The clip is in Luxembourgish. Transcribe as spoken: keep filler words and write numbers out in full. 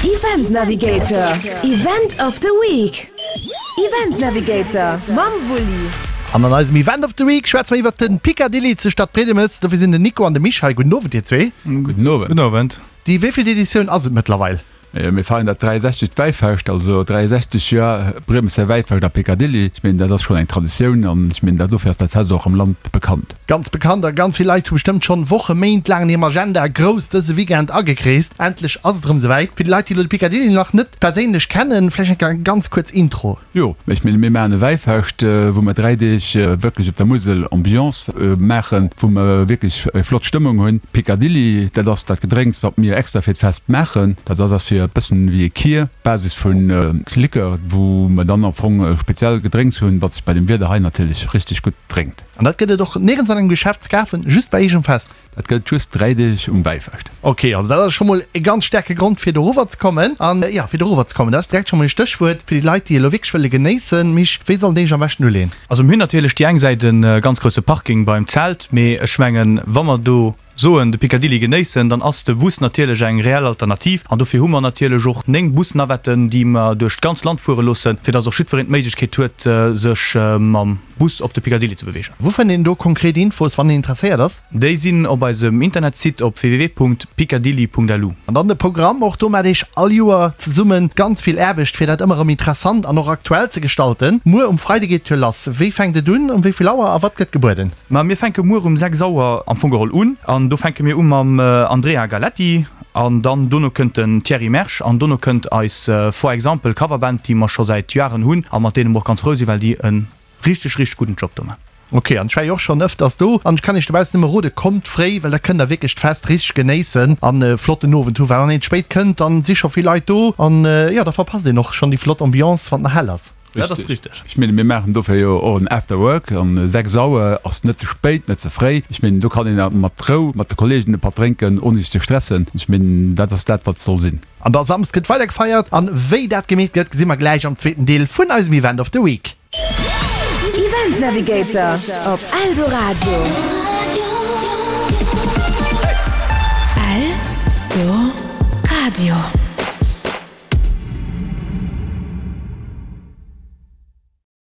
Event Navigator, Event of the Week. Event Navigator mam Wulli. An an eisem Event of the Week schwätze mer iwwert de Picadilly zu Stadtbriedemes. Dofir sinn den Nico an de Misch hei. Gudden Owend, dir zwee. Gudden Owend. Gudden Owend. Déi wéivillt Editioun ass et mëttlerweil? Mir feieren dat dräiundsechzegt Wäifescht, also dräiundsechzeg Joer Briemeser Wäifescht a Picadilly. Ech mengen, dat ass schonn eng Traditioun an ech mengen, dat dofir ass dat Fest och am Land bekannt. Ganz bekannt a ganz vill Leit hu bestëmmt schonn Woche, Méint laang an hirem Agenda grouss dëse Weekend agekreest. Endlech ass et erëm esouwäit. Fir déi Leit, déi elo de Picadilly nach net perséinlech kennen, vläicht eng ganz kuerz Intro. Jo, ech mengen, mir maachen e Wäifescht, wou mer dräi Deeg wierklech op der Musel Ambiance maachen, wou mer wierklech eng flott Stëmmung hunn. Picadilly, dat ass dat Gedrénks, wat mir extra fir d'Fest maachen. Dat ass ass fir e bëssen wéi e Kir, Basis vu Likör, wou mer dann am Fong e speziell Gedrénks hunn, wat sech bei dem Wieder hei natierlech richteg gutt drénkt. An dat gëtt et och nirgends an engem Geschäft ze kafen, just bei iech um Fest? Dat gëtt just dräi Deeg um Wäifescht. Ok, also dat ass scho mol e ganz staarke Grond fir dorower ze kommen. An jo, fir dorower ze kommen, dat ass direkt scho mol e Stéchwuert fir déi Leit, déi elo wierklech wëlle genéissen. Misch, wéi sollen déi sech am beschten uleeën? Also mir hunn natierlech déi eng Säit e ganz grousse Parking beim Zelt, mee ech mengen, wa mer do soen de Picadilly genéissen, dann ass de Bus natierlech eng reell Alternativ. An dofir hu mer natierlech och néng Busnavetten, déi mer duerch d'ganz Land fuere loossen, fir dass och jiddwereen d'Méiglechkeet huet, sech mam Bus op de Picadilly ze beweegen. Wou fënnt een do konkret Infos, wann een interesséiert ass? Déi sinn op eisem Internetsite op www.picadilly.lu. An dann de Programm, och do maacht Iech all Joer zesummen ganz vill Aarbecht, fir dat ëmmer erëm interessant an och aktuell ze gestalten. Muer um Freide geet d'Tour lass. Wéi fänkt et un, um wéi vill Auer a wat gëtt gebueden? Ma mir fänke muer um sechs Auer am Fong geholl un an do fänke mir u mam Andrea Galetti an dann dono kënnt den Thierry Mersch an dono kënnt eis For Example Coverband, déi mer scho säit Joaren hunn a mat deene mer och ganz frou sinn, well déi e richteg, richteg gudden Job do man. Ok, an ech war jo och schonn ëfters do an ech kann iech dobaussen nëmme rode, kommt fréi, well da kënnt der wierklech d'Fest richteg genéissen an e flotten Owend hu, well wann een spéit kënnt, dann si scho vill Leit do an jo, da verpasst een och schonn déi flott Ambiance, wann et nach hell ass. Dat ass richteg. Ech menge mir maachen dofir jo och en After Work an sechs Auer ass net ze spéit, net ze fréi. Ech mengen do kann een mat Rou mat de Kollegen e Patt drénken ouni sech ze stressen. Ech mengen dat ass dat wat soll sinn. An da Samsd gëtt weider gefeiert an wéi dat gemeet gëtt gesi mer gläich am zweeten Deel vun eisem Event of the Week. Event Navigator op Eldoradio. Eldoradio.